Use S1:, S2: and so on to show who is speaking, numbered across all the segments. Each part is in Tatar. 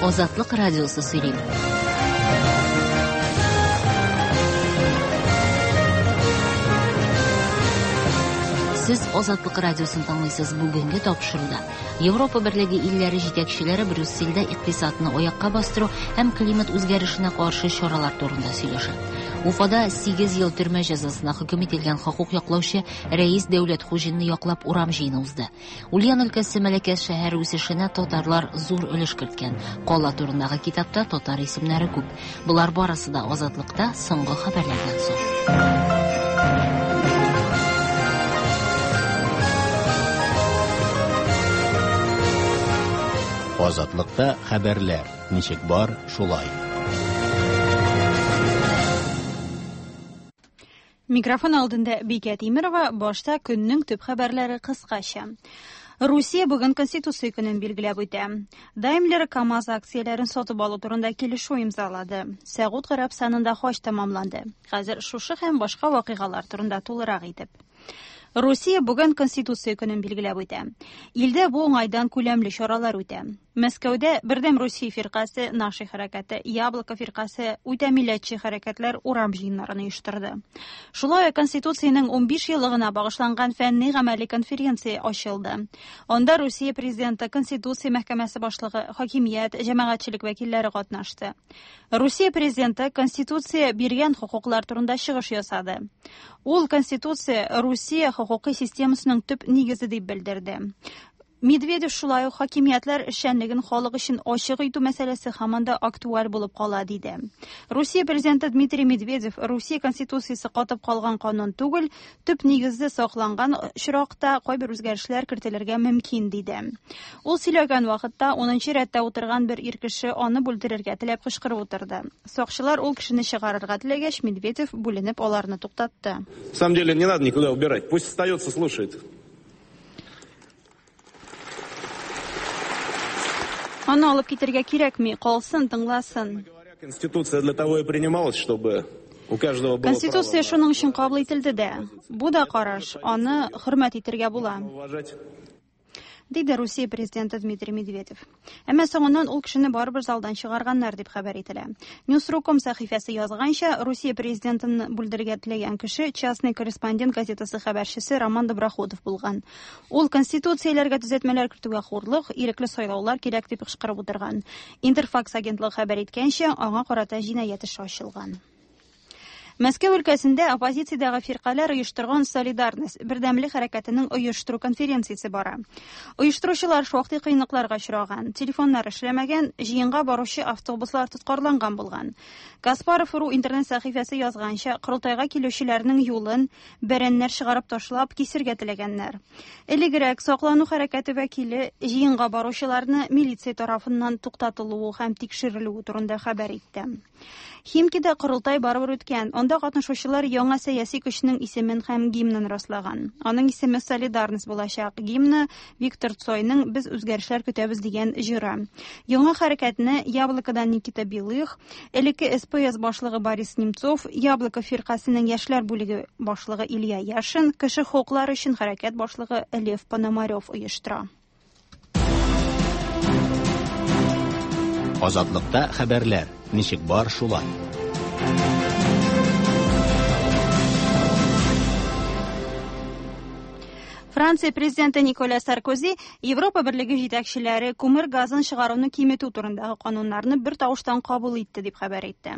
S1: Азатлык радиосы сөйли. Сез Азатлык радиосын тыңлыйсыз. Бүгенге тапшыруда Европа Берлеге илләре җитәкчеләре Брюссельдә икътисадны аякка бастыру һәм климат үзгәрешенә каршы чаралар турында сөйләшә. Уфада 8 ел төрмә җәзасына хөкем ителгән хокук яклаучы Рәис Дәүләтхуҗинны яклап урам җыены узды. Ульян өлкәсе Мәләкәс шәһәре үсешенә татарлар зур өлеш керткән. Кала турындагы китапта татар исемнәре күп. Болар барысы да Азатлыкта соңгы хәбәрләрдән соң.
S2: Азатлыкта хәбәрләр ничек бар, шулай.
S3: Микрофон алдында Бикә Тимерова, башта көннең төп хәбәрләре кыскача. Русия бүген Конституция көнен билгеләп үтә. Daimler КАМАЗ акцияләрен сатып алу турында килешү имзалады. Сәгуд Гарәбстанында хаҗ тәмамланды. Хәзер шушы һәм башка вакыйгалар турында тулырак итеп. Русия бүген Конституция көнен билгеләп үтә. Илдә бу уңайдан күләмле чаралар үтә. Мәскәүдә Бердәм Русия фиркасе, Наши хәрәкәте, Яблоко фиркасе, үтә милләтче хәрәкәтләр урам җыеннарын оештырды. Шулай ук Конституциянең 15 еллыгына багышланган фәнни-гамәли конференция ачылды. Анда Русия президенты, Конституция мәхкәмәсе башлыгы, хакимият, җәмәгатьчелек вәкилләре катнашты. Русия президенты Конституция биргән хокуклар турында чыгыш ясады. Ул Конституция Русия хокукый системасының төп нигезе дип белдерде. Медведев шулай ук хакимиятләр эшчәнлеген халык өчен ачык итү мәсьәләсе һаман да актуаль булып кала диде. Русия президенты Дмитрий Медведев Русия Конституциясе катып калган канун түгел, төп нигезе сакланган очракта кайбер үзгәрешләр кертелергә мөмкин диде. Ул сөйләгән вакытта 10 рәттә утырган бер ир кеше аны бүлдерергә теләп кычкырып утырды. Сакчылар ул кешене чыгарырга теләгәч, Медведев бүленеп аларны туктатты.
S4: На самом деле не надо никуда убирать. Пусть остается, слушает.
S3: Аны алып китергә кирәкми, калсын, тыңласын.
S4: Конституция для того и принималась, чтобы у каждого было
S3: Конституция шуның өчен кабул ителде дә. Бу да караш, аны хөрмәт итергә була.
S4: Уважать.
S3: Диде Русия президенты Дмитрий Медведев. Әмма соңыннан ул кешене барыбер залдан чыгарганнар дип хәбәр ителә. Newsru.com сәхифәсе язганча, Русия президентын бүлдерергә теләгән кеше Частный корреспондент газетасы хәбәрчесе Роман Доброходов булган. Ул конституцияләргә төзәтмәләр кертүгә хурлык, ирекле сайлаулар кирәк дип кычкырып утырган. Интерфакс агентлыгы хәбәр иткәнчә, аңа карата җинаять эше ачылган. Мәскәү өлкәсендә оппозициядәге фиркаләр оештырган Солидарность бердәмлек хәрәкәтенең оештыру конференциясе бара. Оештыручылар шактый кыенлыкларга очраган. Телефоннар эшләмәгән, җыенга баручы автобуслар тоткарланган булган. Каспаров.ру интернет сәхифәсе язганча, корылтайга килүчеләрнең юлын бәрәннәр чыгарып ташлап кисергә теләгәннәр. Элегрәк саклану хәрәкәте вәкиле җыенга баручыларны милиция тарафыннан туктатылуы һәм тикшерелүе турында хәбәр итте. Химкида корылтай барыбер үткән. Анда катнашучылар яңа сәяси көчнең исемен һәм гимнын раслаган. Аның исеме Солидарность булачак. Гимны Виктор Цойның Без үзгәрешләр көтәбез дигән җыры. Яңа хәрәкәтне Яблокодан Никита Белых, элекке СПС башлыгы Борис Немцов, Яблоко фиркасының яшьләр бүлеге башлыгы Илья Яшин, кеше хокуклары өчен хәрәкәт башлыгы Лев Пономарев оештыра.
S2: Азатлыкта хәбәрләр ничек бар, шулай.
S3: Франция президенты Николя Саркози Европа Берлеге җитәкчеләре күмер газын чыгаруны киметү турындагы кануннарны бер тавыштан кабул итте дип хәбәр итте.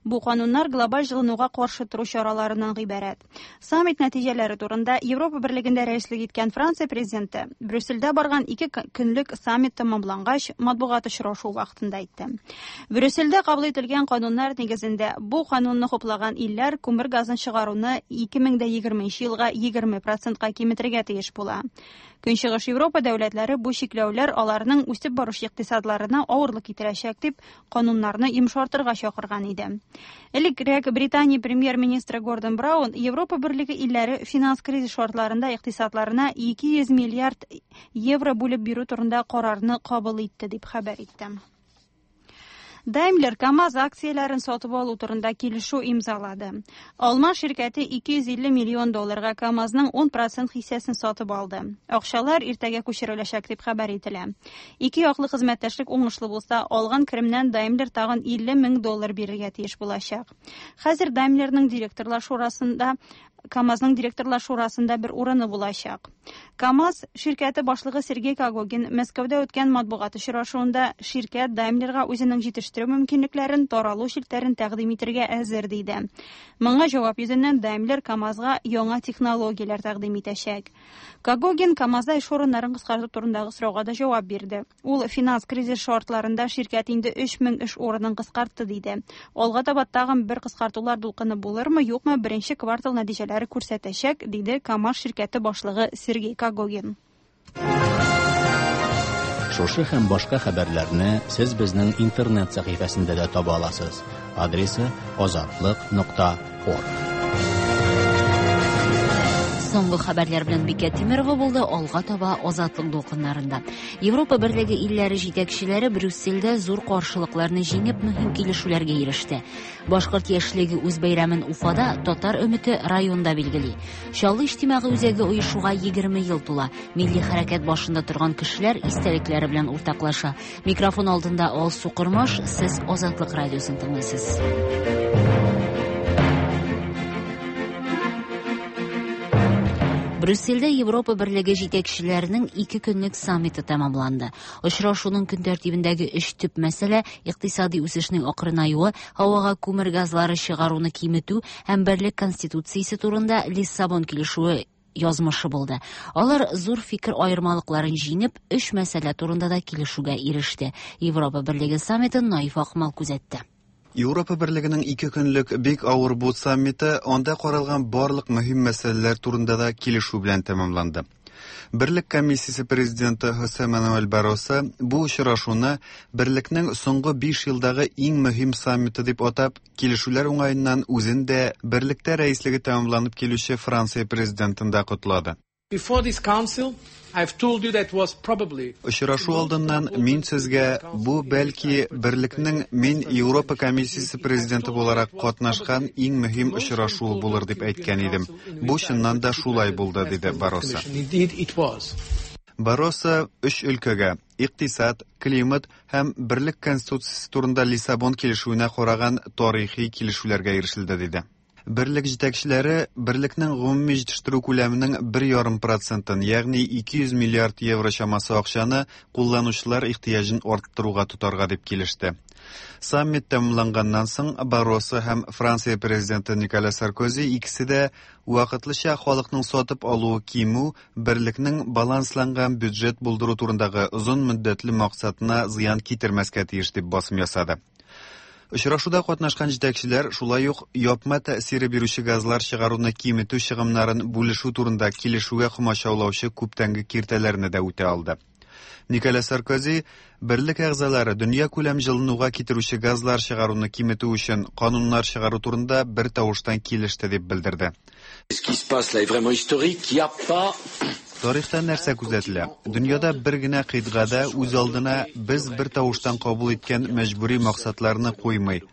S3: Бу кануннар глобаль җылынуга каршы тору чараларыннан гыйбарәт. Саммит нәтиҗәләре турында Европа Берлегендә рәислек иткән Франция президенты Брюссельдә барган ике көнлек саммит тәмамлангач матбугат очрашуы вакытында әйтте. Брюссельдә кабул ителгән кануннар нигезендә бу канунны хуплаган илләр күмер газын чыгаруны 2020 елга 20%ка киметергә тиеш була. Көнчыгыш Европа дәүләтләре бу чикләүләр аларның үсеп баручы икътисадларына авырлык китерәчәк дип кануннарны йомшартырга чакырган иде. Элегрәк Британия премьер-министры Гордон Браун Европа Берлеге илләре финанс кризис шартларында икътисадларына 200 миллиард евро бүлеп бирү турында карарны кабул итте дип хәбәр итте. Daimler КАМАЗ акцияләрен сатып алу турында килешү имзалады. Алман ширкәте 250 миллион долларга КАМАЗның 10% хиссәсен сатып алды. Акчалар иртәгә күчереләчәк дип хәбәр ителә. Ике яклы хезмәттәшлек уңышлы булса, алган керемнән Daimler тагын 50 мең доллар бирергә тиеш булачак. Хәзер Daimlerның директорлар шурасында КАМАЗның директорлар шурасында бер урыны булачак. КАМАЗ ширкәте башлыгы Сергей Когогин Мәскәүдә үткән матбугат очрашуында ширкәт Daimlerга үзенең җитештерү мөмкинлекләрен, таралу челтәрен тәкъдим итәргә әзер диде. Моңа җавап йөзеннән Daimler КАМАЗга яңа технологияләр тәкъдим итәчәк. Когогин КАМАЗда эш урыннарын кыскарту турындагы сорауга да җавап бирде. Ул финанс кризис шартларында ширкәт инде 3000 эш урынын кыскартты диде. Алга таба тагын бер кыскартулар дулкыны булырмы, юкмы, беренче квартал нәтиҗәләре күрсәтәчәк, диде КАМАЗ ширкәте башлыгы Сергей Когогин.
S2: Шушы һәм башка хәбәрләрне сез безнең интернет сәхифәсендә дә таба аласыз. Адресы azatliq.org.
S1: Соңгы хәбәрләр белән Бикә Тимирова булды, алга таба Азатлык дулкыннарында. Европа Берлеге илләре җитәкчеләре Брюссельдә зур каршылыкларны җиңеп мөһим килешүләргә иреште. Башкорт яшьлеге үз бәйрәмен Уфада, Татар өмете районда билгели. Чаллы иҗтимагый үзәге оешуга 20 ел тула. Милли хәрәкәт башында торган кешеләр истәлекләре белән уртаклаша. Микрофон алдында Алсу Кормаш, сез Азатлык радиосын тыңлыйсыз. Брюссельдә Европа Берлеге җитәкчеләренең ике көнлек саммиты тәмамланды. Очрашуның көн тәртибендәге өч төп мәсьәлә икътисади үсешнең акрынаюы, һавага күмер газлары чыгаруны киметү һәм берлек конституциясе турында Лиссабон килешүе язмышы булды. Алар зур фикер аермалыкларын җиңеп, өч мәсьәлә турында да килешүгә иреште. Европа Берлеге саммитын Наиф Акмал күзәтте.
S5: Европа Берлегенең ике көнлек бик авыр бу саммиты анда каралган барлык мөһим мәсьәләләр турында да килешү белән тәмамланды. Берлек комиссиясе президенты Хосе Мануэль Барроса бу очрашуны Берлекнең соңгы 5 елдагы иң мөһим саммиты дип атап, килешүләр уңаеннан үзен дә Берлектә рәислеге тәмамланып килүче Франция президентын да котлады.
S6: Before this council, I've told you that was probably
S5: Очрашу алдыннан мин сезгә бу бәлки Берлекнең мин Европа комиссиясе президенты буларак катнашкан иң мөһим очрашуы булыр дип әйткән идем. Бу чыннан да шулай булды, диде Барроса.
S6: Indeed it was.
S5: Барроса өч өлкәгә икътисад, климат һәм Берлек конституциясе турында Лиссабон килешүенә караган тарихи килешүләргә ирешелде, диде. Берлек җитәкчеләре берлекнең гомуми җитештерү күләменең 1,5%-ын, ягъни 200 миллиард евро чамасы акчаны кулланучылар ихтыяҗын арттыруга тотарга дип килеште. Саммит тәмамланганнан соң Барроса һәм Франция президенты Николя Саркози икесе дә вакытлыча халыкның сатып алуы кимү берлекнең балансланган бюджет булдыру турындагы озын мөддәтле максатына зыян китермәскә тиеш дип басым ясады. Очрашуда катнашкан җитәкчеләр шулай ук япма тәэсире бирүче газлар чыгаруны киметү чыгымнарын бүлешү турында килешүгә комачаулаучы күптәнге киртәләрне дә үтә алды. Николя Саркози берлек әгъзалары дөнья күләм җылынуга китерүче газлар чыгаруны киметү өчен кануннар чыгару турында бер тавыштан килеште дип белдерде.
S7: Ce qui se passe là est vraiment historique. Il n'y a pas
S5: Тарихта нәрсә күзәтелә? Дөньяда бер генә кыйтгада үз алдына без бер тавыштан кабул иткән мәҗбүри максатларны куймый.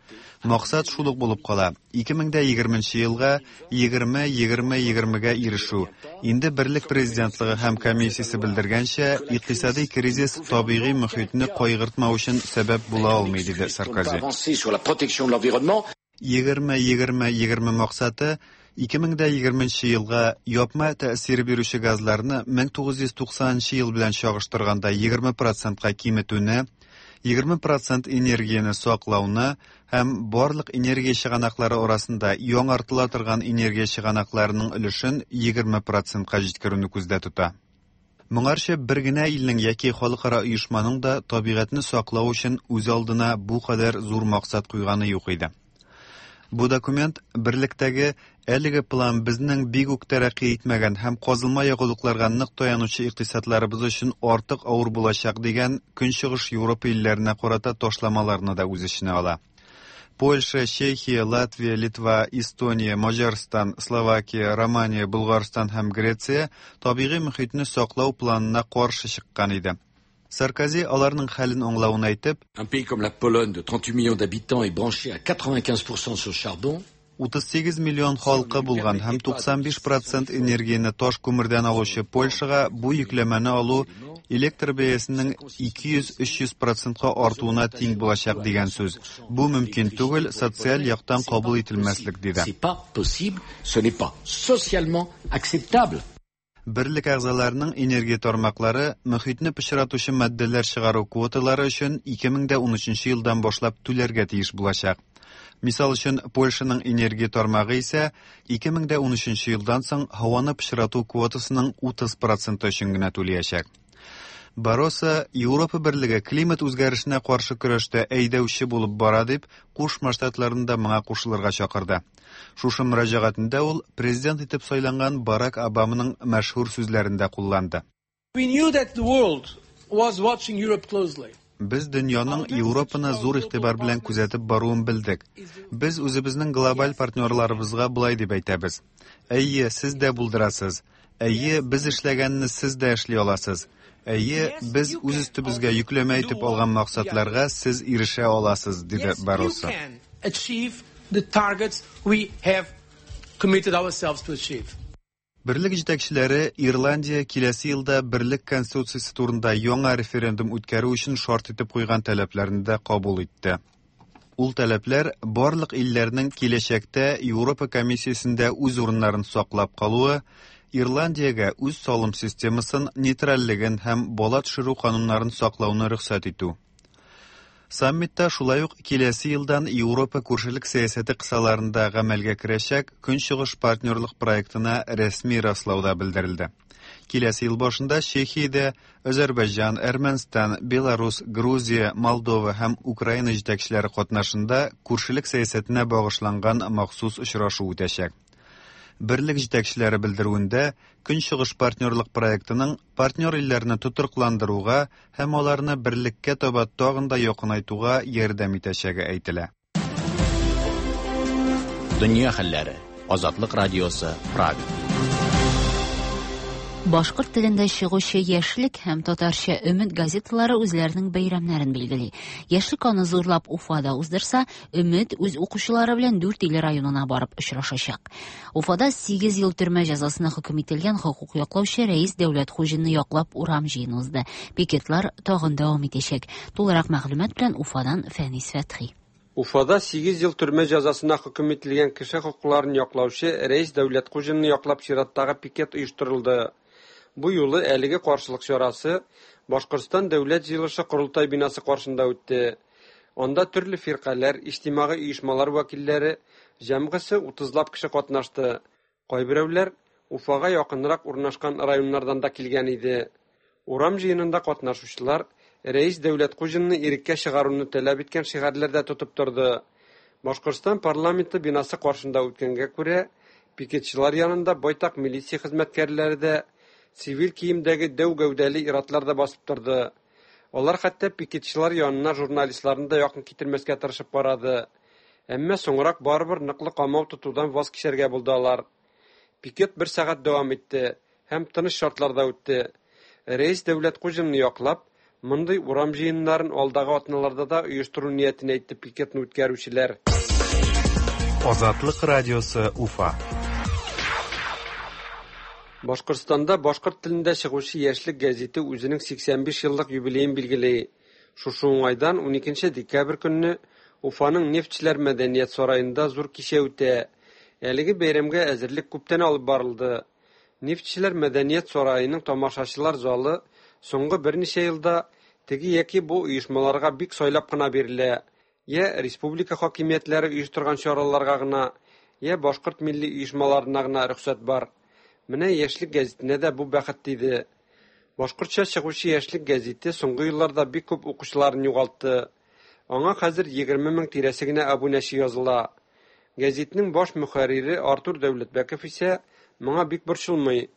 S5: Максат шул ук булып кала. 2020 елга 20-20-20-гә ирешү. Инде Берлек президентлыгы һәм комиссиясе белдергәнчә, икътисади кризис табигый мөхитне кайгыртмау өчен сәбәп була алмый, диде Саркози.
S7: avancer sur la protection de l'environnement.
S5: 20-20-20 максаты 2020 елга япма тәэсир бирүче газларны 1990 ел белән чагыштырганда 20%-ка киметүне, 20% энергияне саклауны һәм барлык энергия чыганаклары арасында яңартыла торган энергия чыганакларының өлешен 20%-ка җиткерүне күздә тота. Моңарчы бер генә илнең яки халыкара оешманың да табигатьне саклау өчен үз алдына бу кадәр зур максат куйганы юк иде. Бу документ берлектәге әлеге план безнең бик үк тәрәккый итмәгән һәм казылма ягулыкларга нык таянучы икътисадларыбыз өчен артык авыр булачак дигән Көнчыгыш Европа илләренә карата ташламаларны да үз эченә ала. Польша, Чехия, Латвия, Литва, Эстония, Маҗарстан, Словакия, Романия, Булгарстан һәм Греция табигый мөхитне саклау планына каршы чыккан иде. Саркози аларның хәлен аңлавын әйтеп,
S7: Un pays comme la Pologne de 38 millions d'habitants est branché à 95% sur charbon.
S5: 38 миллион халкы булган һәм 95 процент энергияне таш күмердән алучы Польшага бу йөкләмәне алу электр бәясенең 200-300 процентка артуына тиң булачак дигән сүз. Бу мөмкин түгел, социаль яктан кабул ителмәслек, диде.
S7: C'est pas possible, ce n'est pas socialement acceptable.
S5: Берлек әгъзаларының энергия тармаклары мөхитне пычратучы матдәләр чыгару квоталары өчен 2013 елдан башлап түләргә тиеш булачак. Мисал өчен, Польшаның энергия тармагы исә 2013 елдан соң һаваны пычрату квотасының 30 проценты өчен генә түләячәк. Барроса Европа берлеге климат үзгәрешенә каршы көрәштә әйдәүче булып бара дип, Кушма Штатларын да моңа кушылырга чакырды. Шушы мөрәҗәгатендә ул президент итеп сайланган Барак Обаманың мәшһүр сүзләрен дә кулланды.
S6: We knew that the world was watching Europe closely.
S5: Без дөньяның Европаны зур игътибар белән күзәтеп баруын белдек. Без үзебезнең глобаль партнерларыбызга болай дип әйтәбез: Әйе, сез дә булдырасыз. Әйе, без эшләгәнне сез дә эшли аласыз. Әйе, без үз өстебезгә йөкләмә итеп алган максатларга сез ирешә аласыз, диде
S6: Yes, you
S5: Барроса.
S6: can achieve the targets we have committed ourselves to achieve.
S5: Берлек җитәкчеләре Ирландия киләсе елда Берлек конституциясе турында яңа референдум үткәрү өчен шарт итеп куйган таләпләрне дә кабул итте. Ул таләпләр барлык илләрнең киләчәктә Европа комиссиясендә үз урыннарын саклап калуы, Ирландиягә үз салым системасын, нейтральлеген һәм бала төшерү кануннарын саклауны рөхсәт итү. Саммитта шулай ук киләсе елдан Европа күршелек сәясәте кысаларында гамәлгә керәчәк Көнчыгыш партнерлык проектына рәсми раслау да белдерелде. Киләсе ел башында Чехиядә Азәрбайҗан, Әрмәнстан, Беларус, Грузия, Молдова һәм Украина җитәкчеләре катнашында күршелек сәясәтенә багышланган махсус очрашу үтәчәк. Берлек җитәкчеләре белдерүендә Көнчыгыш партнерлык проектының партнер илләрне тотрыкландыруга һәм аларны берлеккә таба тагын да якынайтуга ярдәм итәчәге әйтелә.
S2: Дөнья хәлләре. Азатлык радиосы, Прага.
S1: Башкорт телендә чыгучы Яшьлек һәм татарча Өмет газеталары үзләренең бәйрәмнәрен билгели. Яшьлек аны зурлап Уфада уздырса, Өмет үз укучылары белән Дүрт Иле районына барып очрашачак. Уфада 8 ел төрмә җәзасына хөкем ителгән хокук яклаучы Рәис Дәүләтхуҗинны яклап урам җыены узды. Пикетлар тагын дәвам итәчәк. Тулырак мәгълүмат белән Уфадан Фәнис Фәтхи.
S8: Уфада 8 ел төрмә җәзасына хөкем ителгән кеше хокукларын яклаучы Рәис Дәүләтхуҗинны яклап чираттагы пикет оештырылды. Бу юлы әлеге каршылык чарасы Башкортстан Дәүләт җыелышы Корылтай бинасы каршында үтте. Анда төрле фиркаләр, иҗтимагый оешмалар вәкилләре, җәмгысе 30лап кеше катнашты. Кайберәүләр Уфага якынрак урнашкан районнардан да килгән иде. Урам җыенында катнашучылар Рәис Дәүләтхуҗинны иреккә чыгаруны таләп иткән шигарьләр дә тотып торды. Башкортстан парламенты бинасы каршында үткәнгә күрә, пикетчылар янында байтак милиция хезмәткәрләре дә, цивиль киемдәге дәү гәүдәле иратлар да басып торды. Алар хәтта пикетчылар янына журналистларны да якын китермәскә тырышып карады. Әмма соңрак барыбер ныклы камау тотудан ваз кичәргә булды алар. Пикет бер сәгать дәвам итте һәм тыныч шартларда үтте. Рәис Дәүләтхуҗинны яклап, мондый урам җыеннарын алдагы атналарда да оештыру ниятен әйтте пикетны үткәрүчеләр.
S5: Азатлык радиосы Уфа.
S8: Башкортстанда башкорт телендә чыгучы Яшьлек гәзите үзенең 85 еллык юбилеен билгели. Шушы уңайдан 12 декабрь көнне Уфаның Нефтьчеләр мәдәният сараенда зур кичә үтә. Әлеге бәйрәмгә әзерлек күптән алып барылды. Нефтьчеләр мәдәният сараеның тамашачылар залы соңгы берничә елда теге яки бу оешмаларга бик сайлап кына бирелә. Я республика хакимиятләре оештырган чараларга гына, я башкорт милли оешмаларына гына рөхсәт бар. Менә Яшьлек гәзитенә дә бу бәхет тиде. Башкортча чыгучы Яшьлек гәзите соңгы елларда бик күп укучыларын югалтты. Аңа хәзер 20 мең тирәсе генә абунәче языла. Гәзитнең баш мөхәррире Артур Дәүләтбәков исә моңа бик борчылмый.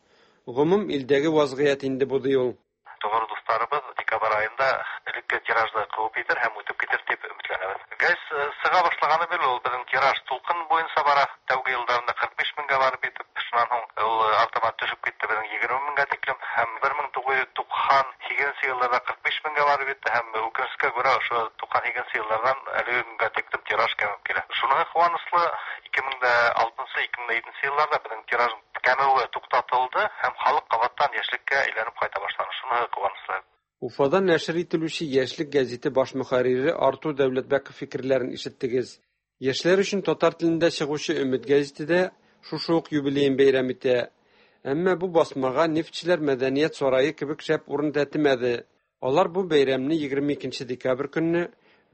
S8: Гомум илдәге вазгыять инде бу ди ул.
S9: Тугры дусларыбыз декабрь аенда элекке тиражны куып итер һәм үтеп китер дип өметләнәбез. Гәз сыга башлаганы бирле ул безнең тираж тулкын буенча бара. Тәүге елларында 45 меңгә барып итеп, шуннан һуң ул артабан төшеп китте безнең 20 меңгә тиклем һәм 1998 елларда 45 меңгә барып җитте һәм үкенечкә күрә ошо 98 еллардан әлеге көнгә тиклем тираж кәмеп килә. Шуныһы куанычлы, 2006-2007 елларда безнең тираж кәмүе туктатылды һәм халык кабаттан Яшьлеккә әйләнеп кайта башлады. Шуныһы куанычлы.
S8: Уфада нәшер ителүче Яшьлек гәзите баш мөхәррире Артур Дәүләтбәков фикерләрен ишеттегез. Яшьләр өчен татар телендә чыгучы Өмет гәзите дә шушы ук юбилеен бәйрәм итә. Әмма бу басмага Нефтьчеләр мәдәният сарае кебек шәп урын тәтемәде. Алар бу бәйрәмне 22 декабрь көнне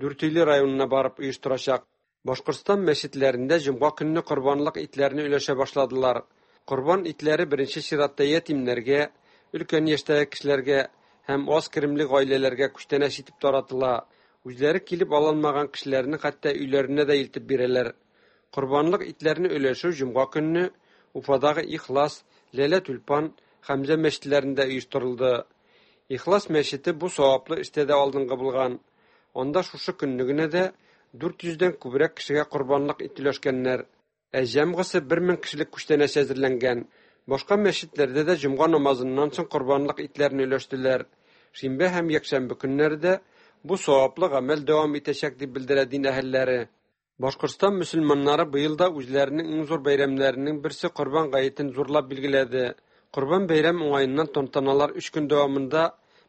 S8: Дүртөйле районына барып оештырачак. Башкортстан мәчетләрендә җомга көнне корбанлык итләрне өләшә башладылар. Корбан итләре беренче чиратта ятимнәргә, өлкән яшьтәге кешеләргә һәм аз керемле гаиләләргә күчтәнәч итеп таратыла. Үзләре килеп ала алмаган кешеләрне хәтта өйләренә дә илтеп бирәләр. Корбанлык итләрне өләшү җомга көнне Уфадагы Ихлас, Ләлә Тюльпан, Хәмзә мәчетләрендә оештырылды. Ихлас мәчете бу саваплы эштә дә алдынгы булган. Анда шушы көнне генә дә 400 дән күбрәк кешегә корбанлык ит өләшкәннәр. Ә җәмгысе 1000 кешелек күчтәнәч әзерләнгән. Башка мәчетләрдә дә җомга намазыннан соң корбанлык итләрне өләштеләр. Шимбә һәм якшәмбе көннәрдә бу саваплы гамәл дәвам итәчәк дип белдерә дин әһелләре. Башкортстан мөселманнары быел да үзләренең иң зур бәйрәмнәренең берсе Корбан гаетен зурлап билгеләде. Корбан бәйрәм уңаеннан тантаналар 3 көн дәвамында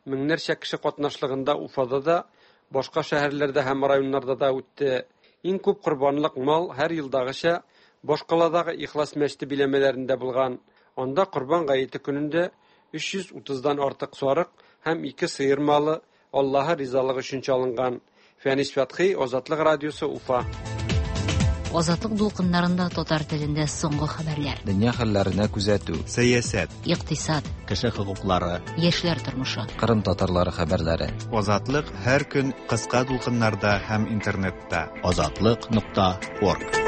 S8: меңнәрчә кеше катнашлыгында Уфада да, башка шәһәрләрдә һәм районнарда да үтте. Иң күп корбанлык мал һәр елдагыча башкаладагы Ихлас мәчете биләмәләрендә булган. Анда Корбан гаете көнендә 330-дан артык сарык һәм 2 сыер малы Аллаһы ризалыгы өчен чалынган. Фәнис Фәтхи, Азатлык радиосы, Уфа.
S1: Азатлык дулкыннарында татар телендә соңгы хәбәрләр.
S10: Дөнья хәлләренә күзәтү.
S5: Сәясәт.
S1: Икътисад.
S2: Кеше хокуклары.
S1: Яшьләр тормышы.
S10: Кырым татарлары хәбәрләре.
S5: Азатлык һәр көн кыска дулкыннарда һәм интернетта.
S2: Азатлык.орг.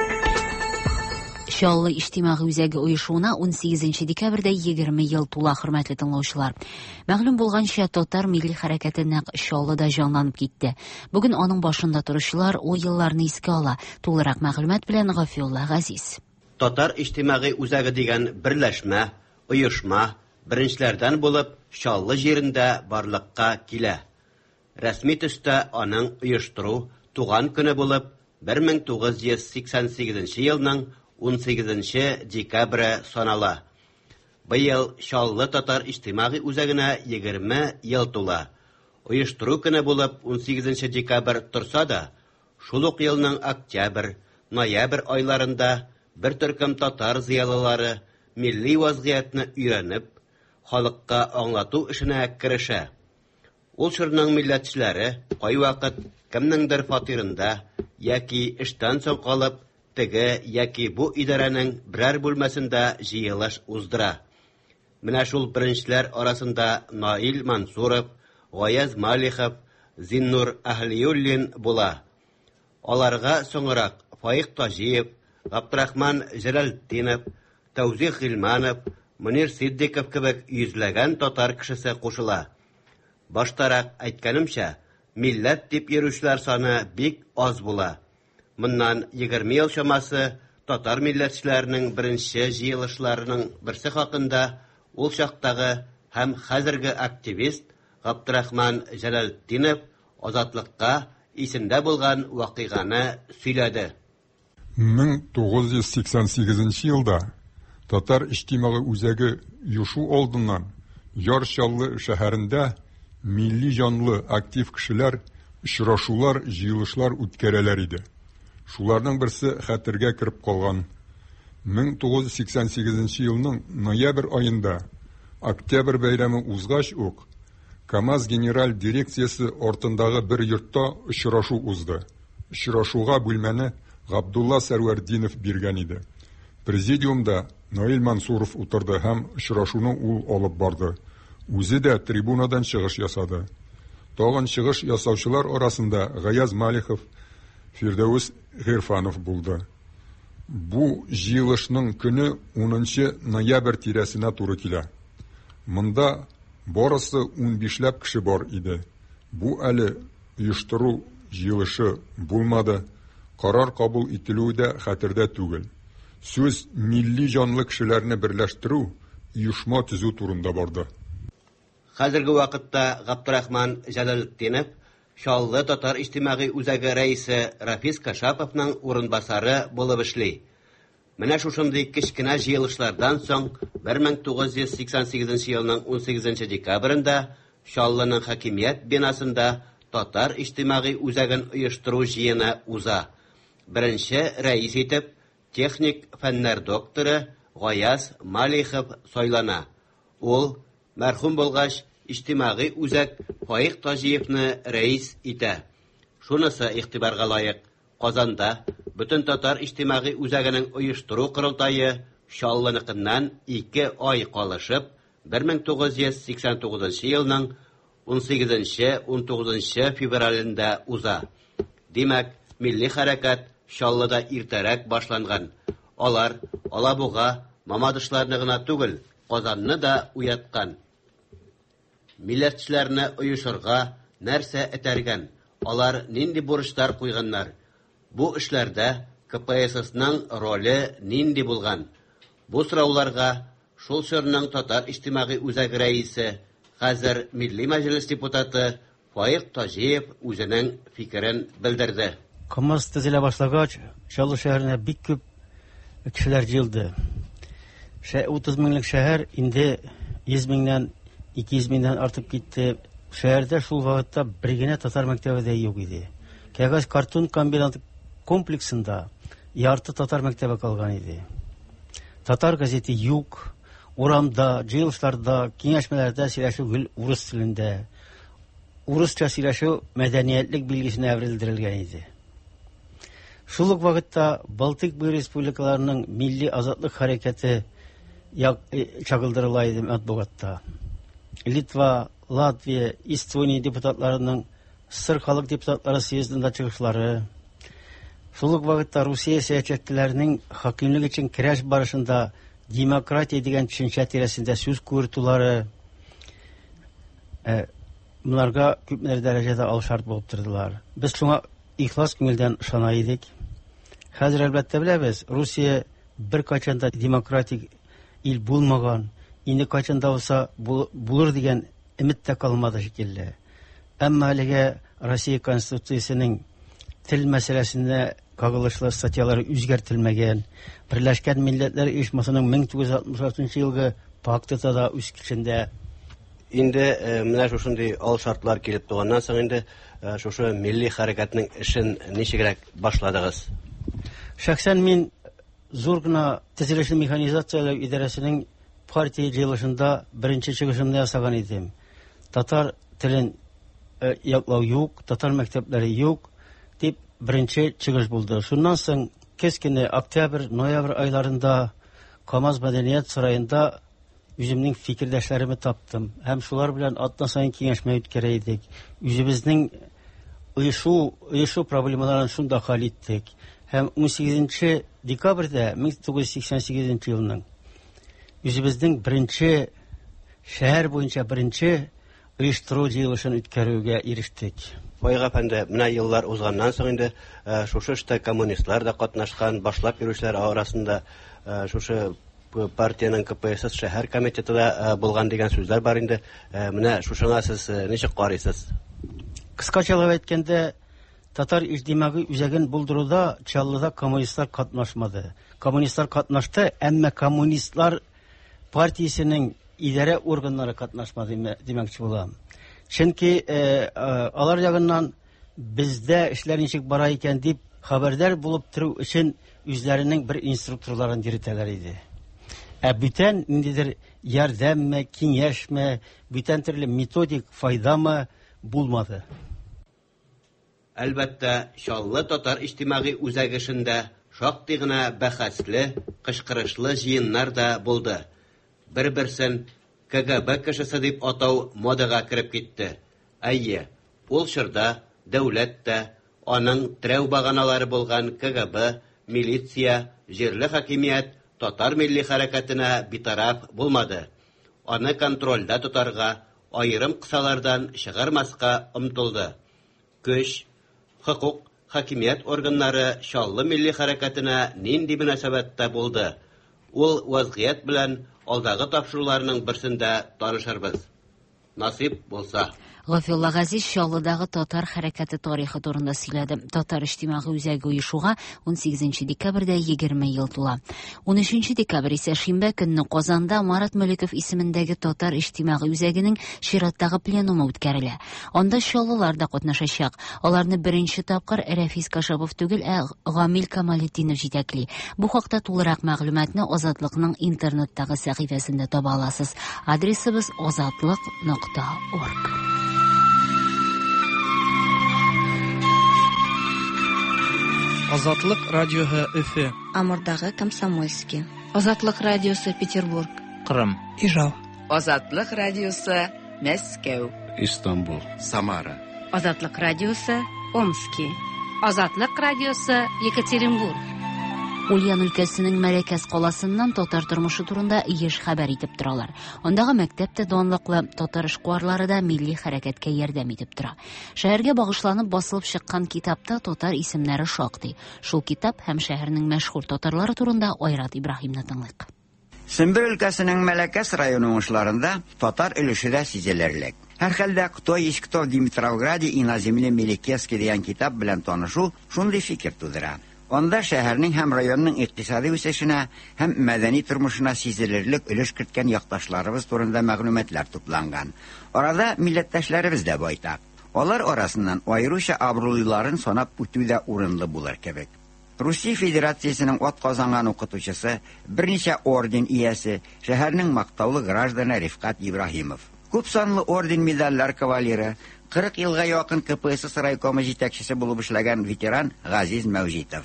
S1: Чаллы иҗтимагый үзәге оешуына 18 декабрьдә 20 ел тула, хөрмәтле тыңлаучылар. Мәгълүм булганча, татар милли хәрәкәте нәкъ Чаллыда җанланып китте. Бүген аның башында торучылар ул елларны искә ала. Тулырак мәгълүмат белән Гафиулла Газиз.
S11: Татар иҗтимагый үзәге дигән берләшмә, оешма беренчеләрдән булып Чаллы җирендә барлыкка килә. Рәсми төстә аның оештыру туган көне булып 1988 елның 18 декабре санала. Быел Чаллы татар иҗтимагый үзәгенә 20 ел тула. Оештыру көне булып 18 декабрь торса да, шул ук елның октябрь, ноябрь айларында бер төркем татар зыялылары милли вазгыятьне өйрәнеп, халыкка аңлату эшенә керешә. Ул чорның милләтчеләре кайвакыт кемнеңдер фатирында яки эштән соң калып, теге яки бу идарәнең берәр бүлмәсендә җыелыш уздыра. Менә шул беренчеләр арасында Наил Мансуров, Гаяз Малихов, Зиннур Әһлиуллин була. Аларга соңрак Фаик Таҗиев, Габдрахман Җәләлетдинов, Тәүзих Гыйльманов, Мөнир Ситдиков кебек йөзләгән татар кешесе кушыла. Баштарак әйткәнемчә, милләт дип йөрүчеләр саны бик аз була. Моннан 20 ел чамасы татар милләтчеләренең беренче җыелышларының берсе хакында ул чактагы һәм хәзерге активист Габдрахман Җәләлетдинов Азатлыкка исендә булган вакыйганы сөйләде.
S12: 1988 елда Татар иҗтимагый үзәге оешу алдыннан Яр Чаллы шәһәрендә милли җанлы актив кешеләр очрашулар, җыелышлар үткәрәләр иде. Шуларның берсе хәтергә кереп калган. 1988 елның ноябрь аенда Октябрь бәйрәме узгач ук КАМАЗ генераль дирекциясе артындагы бер йортта очрашу узды. Очрашуга бүлмәне Габдулла Сәрвәрдинов биргән иде. Президиумда Наил Мансуров утырды һәм очрашуны ул алып барды. Үзе дә трибунадан чыгыш ясады. Тагын чыгыш ясаучылар арасында Гаяз Малихов, Фирдәвес Гыйрфанов булды. Бу җыелышның көне 10 ноябрь тирәсенә туры килә. Монда барысы 15ләп кеше бар иде. Бу әле оештыру җыелышы булмады. Карар кабул ителүе дә хәтердә түгел. Сүз милли җанлы кешеләрне берләштерү, оешма төзү турында барды.
S11: Хәзерге вакытта Габдрахман Җәләлетдинов Чаллы татар иҗтимагый үзәге рәисе Рафис Кашаповның урынбасары булып эшли. Менә шушындый кечкенә җыелышлардан соң 1988 елның 18 декабрендә Чаллының хакимият бинасында татар иҗтимагый үзәген оештыру җыены уза. Беренче рәис итеп техник фәннәр докторы Гаяз Малихов сайлана. Ул, мәрхүм булгач, иҗтимагый үзәк Фаик Таҗиевны рәис итә. Шунысы игътибарга лаек, Казанда Бөтентатар иҗтимагый үзәгенең оештыру корылтае Чаллыныкыннан 2 ай калышып, 1989 елның 18-19 февралендә уза. Димәк, милли хәрәкәт Чаллыда иртәрәк башланган. Алар Алабуга, Мамадышларны гына түгел, Казанны да уяткан. Милләтчеләрне оешырга нәрсә этәргән, алар нинди бурычлар куйганнар? Бу эшләрдә КПССның роле нинди булган? Бу сорауларга шул чорның Татар иҗтимагый үзәге рәисе, хәзер Милли Мәҗлес депутаты Фаик Таҗиев үзенең фикерен белдерде.
S13: КАМАЗ төзелә башлагач, Чаллы шәһәренә бик күп кешеләр җыелды. 30 меңлек шәһәр инде 100 меңнән, 200 меңнән артып китте. Шәһәрдә шул вакытта бер генә татар мәктәбе дә юк иде. Кәгазь картон комбинаты комплексында ярты татар мәктәбе калган иде. Татар газеты юк. Урамда, җыелышларда, киңәшмәләрдә сөйләшү гел урыс телендә. Урысча сөйләшү мәдәниятлек билгесенә әверелдерелгән иде. Шул ук вакытта Балтыйк буе республикаларының милли азатлык хәрәкәте чагылдырыла иде матбугатта. Литва, Латвия, Эстония депутатларының СССР халык депутатлары съездында чыгышлары, шул ук вакытта Русия сәясәтчеләренең хакимлек өчен көрәш барышында демократия дигән төшенчә тирәсендә сүз куертулары монарга күпмедер дәрәҗәдә алшарт булып тордылар. Без шуңа ихлас күңелдән ышана идек. Хәзер, әлбәттә, беләбез, Русия беркайчан да демократик ил булмаган, инде кайчан да булса булыр дигән өмет тә калмады шикелле. Әмма әлегә Россия Конституциясенең тел мәсьәләсенә кагылышлы статьялары үзгәртелмәгән. Берләшкән Милләтләр Оешмасының 1966 елгы пакты да үз көчендә.
S11: Инде менә шушындый ал шартлар килеп туганнан соң инде шушы милли хәрәкәтнең эшен ничегрәк башладыгыз?
S13: Шәхсән мин зур гына төзелешне механизацияләү идарәсенең партия җыелышында беренче чыгышымны ясаган идем. Татар телен яклау юк, татар мәктәпләре юк дип беренче чыгыш булды. Шуннан соң көз көне октябрь, ноябрь айларында КАМАЗ мәдәният сараенда үземнең фикердәшләремне таптым һәм шулар белән атна саен киңәшмә үткәрә идек. Үзебезнең оешу, оешу проблемаларын шунда хәл иттек. Һәм 18 декабрьдә 1988 елның үзебезнең беренче шәһәр буенча беренче оештыру җыелышын үткәрүгә ирештек.
S11: Фаик әфәнде, менә еллар узганнан соң инде шушы эштә коммунистлар да катнашкан, башлап йөрүчеләр арасында шушы партиянең КПСС шәһәр комитеты да булган дигән сүзләр бар инде. Менә шушыңа сез ничек карыйсыз?
S13: Кыскачалап әйткәндә, Татар иҗтимагый үзәген булдыруда Чаллыда коммунистлар катнашмады. Коммунистлар катнашты, әмма коммунистлар партиясенең идарә органнары катнашмады димәкче булам. Чөнки алар ягыннан бездә эшләр ничек бара икән дип хәбәрдар булып тору өчен үзләренең бер инструкторларын йөртәләр иде. Ә бүтән ниндидер ярдәмме, киңәшме, бүтән төрле методик файдамы булмады.
S11: Әлбәттә, Чаллы татар иҗтимагый үзәге эшендә шактый гына бәхәсле, кычкырышлы җыеннар да булды. Бер-берсен КГБ кешесе дип атау модага кереп китте. Әйе, ул чорда дәүләт тә, аның терәү баганалары булган КГБ, милиция, җирле хакимият татар милли хәрәкәтенә битараф булмады. Аны контрольдә тотарга, аерым кысалардан чыгармаска омтылды. Көч, хокук, хакимият органнары Чаллы милли хәрәкәтенә нинди мөнәсәбәттә булды? Ул вазгыять белән алдагы тапшыруларның берсендә танышырбыз. Насыйп булса.
S1: Гафиулла Газиз Чаллыдагы татар хәрәкәте тарихы турында сөйләде. Татар иҗтимагый үзәге оешуга 18 декабрьдә 20 ел тула. 13 декабрь исә шимбә көнне Казанда Марат Мөлеков исемендәге Татар иҗтимагый үзәгенең чираттагы пленумы үткәрелә. Анда чаллылар да катнашачак. Аларны беренче тапкыр Рәфис Кашапов түгел, ә Гамил Камалетдинов җитәкли. Бу хакта тулырак мәгълүматны Азатлыкның интернеттагы сәхифәсендә таба аласыз. Адресыбыз azatlık.org.
S14: Азатлык радиоһы Өфе.
S15: Амурдагы Комсомольский. Азатлык радиосы Петербург.
S2: Кырым.
S14: Ижау.
S16: Азатлык радиосы Мәскәү.
S4: Истанбул. Самара.
S15: Азатлык радиосы Омски.
S17: Азатлык радиосы Екатеринбург.
S1: Ульян өлкәсенең Мәләкәс каласыннан татар тормышы турында еш хәбәр итеп торалар. Андагы мәктәп тә данлыклы, татар эшкуарлары да милли хәрәкәткә ярдәм итеп тора. Шәһәргә багышланып басылып чыккан китапта татар исемнәре шактый. Шул китап һәм шәһәрнең мәшһүр татарлары турында Айрат Ибраһимны тыңлыйк.
S18: Сембер өлкәсенең Мәләкәс районы уңышларында татар өлеше дә сизелерлек. Һәрхәлдә «Кто есть кто в Димитровграде и на земле Мелекесской» дигән китап белән танышу шундый фикер тудыра. Анда шәһәрнең һәм районның икътисади үсешенә һәм мәдәни тормышына сизелерлек өлеш керткән якташларыбыз турында мәгълүматлар тупланган. Арада милләттәшләребез дә байтак. Алар арасыннан аеруча абруйлыларын санап үтү дә урынлы булыр кебек. Русия Федерациясенең атказанган укытучысы, берничә орден иясе, шәһәрнең мактаулы гражданы Рифкат Ибраһимов. Күп санлы орден медальләр кавалеры, 40 елга якын КПСС райкомы җитәкчесе булып эшләгән ветеран Газиз Мәүҗитов.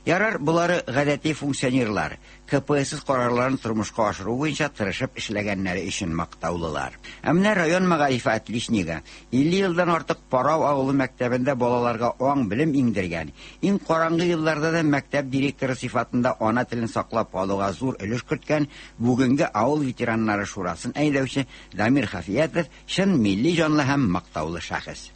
S18: Ярар, болары гадәти функционерлар, КПСС карарларын тормышка ашыру буенча тырышып эшләгәннәре өчен мактаулылар. Ә менә район мәгарифе отличнигы, 50 елдан артык Парау авылы мәктәбендә балаларга аң белем иңдергән, иң караңгы елларда да мәктәп директоры сыйфатында ана телен саклап калуга зур өлеш керткән бүгенге авыл ветераннары шурасын әйдәүче Дамир Хафиятов чын милли җанлы һәм мактаулы шәхес.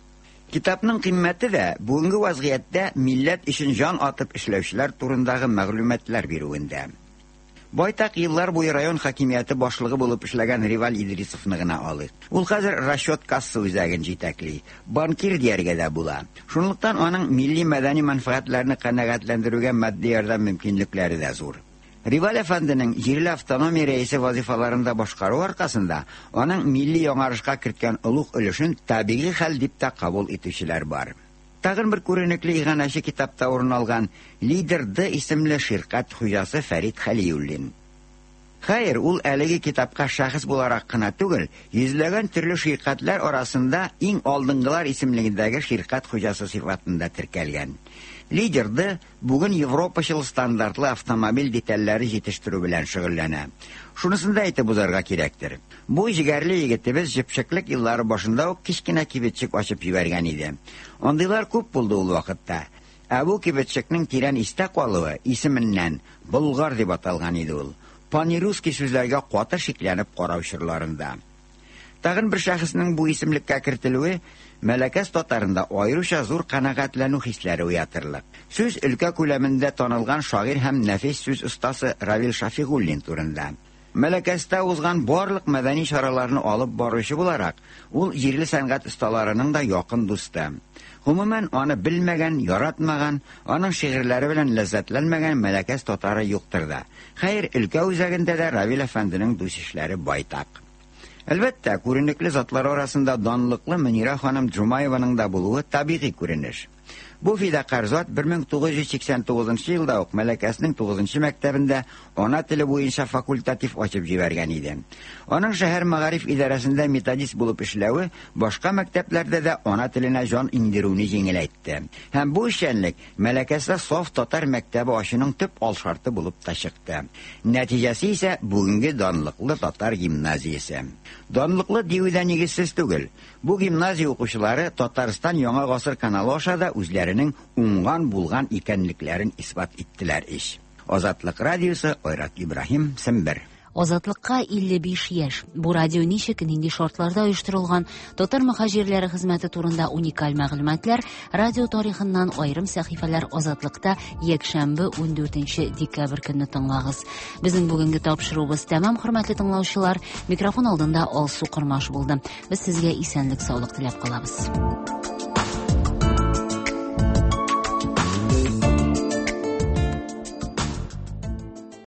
S18: Китапның кыйммәте дә бүгенге вазгыятьтә милләт өчен җан атып эшләүчеләр турындагы мәгълүматлар бирүендә. Байтак еллар буе район хакимияте башлыгы булып эшләгән Риваль Идрисовны гына алыйк. Ул хәзер расчет касса үзәген җитәкли. Банкир дияргә дә була. Шунлыктан аның милли мәдәни мәнфәгатьләрне канәгатьләндерүгә матди ярдәм мөмкинлекләре дә зур. Риваль әфәнденең җирле автономия рәисе вазифаларын да башкаруы аркасында аның милли яңарышка керткән олуг өлешен табигый хәл дип тә кабул итүчеләр бар. Тагын бер күренекле иганәче китапта урын алган Лидер Д исемле ширкәт хуҗасы Фәрит Хәлиуллин. Хәер, ул әлеге китапка шәхес буларак кына түгел, йөзләгән төрле ширкәтләр арасында иң алдынгылар исемлегендәге ширкәт хуҗасы сыйфатында теркәлгән. Лидер Д бүген европачыл стандартлы автомобиль детальләре җитештерү белән шөгыльләнә. Шунысын да әйтеп узарга кирәктер. Бу җегәрле егетебез җепшеклек еллары башында ук кечкенә кибетчек ачып җибәргән иде. Андыйлар күп булды ул вакытта. Ә бу кибетчекнең тирән истә калуы исеменнән Болгар дип аталган иде ул. Панирусский сүзләргә каты шикләнеп карау чорларында. Тагын бер шәхеснең бу исемлеккә кертелүе Мәләкәс татарында аеруча зур канәгатьләнү хисләре уятырлык. Сүз өлкә күләмендә танылган шагыйрь һәм нәфис сүз остасы Равил Шафигуллин турында. Мәләкәстә узган барлык мәдәни чараларны алып баручы буларак, ул җирле сәнгать осталарының да якын дусты. Гомумән, аны белмәгән, яратмаган, аның шигырьләре белән ләззәтләнмәгән Мәләкәс татары юктыр да. Хәер, өлкә үзәгендә дә Равил әфәнденең дус ишләре байтак. Әлбәттә, күренекле затлар арасында данлыклы Мөнирә ханым Джумаеваның да булуы табигый күренеш. Бу фидакарь зат 1989 елда ук Мәләкәснең 9 мәктәбендә ана теле буенча факультатив ачып җибәргән иде. Аның шәһәр мәгариф идарәсендә методист булып эшләве башка мәктәпләрдә дә ана теленә җан иңдерүне җиңеләйтте. Һәм бу эшчәнлек Мәләкәстә саф татар мәктәбе ачуның төп алшарты булып та чыкты. Нәтиҗәсе исә бүгенге данлыклы татар гимназиясе. Данлыклы дию дә нигезсез түгел. Бу гимназия укучылары Татарстан Яңа гасыр каналы аша да үзләренең уңган булган икәнлекләрен исбат иттеләр ич. Азатлык радиосы Айрат Ибраһим, Сембер.
S1: Азатлыкка 55 яшь. Бу радио ничек, нинди шартларда оештырылган, татар мөхаҗирләре хезмәте турында уникаль мәгълүматлар, радио тарихыннан аерым сәхифәләр Азатлыкта якшәмбе 14 декабрь көнне тыңлагыз. Безнең бүгенге тапшыруыбыз тәмам, хөрмәтле тыңлаучылар. Микрофон алдында Алсу Кормаш булды. Без сезгә исәнлек-саулык теләп калабыз.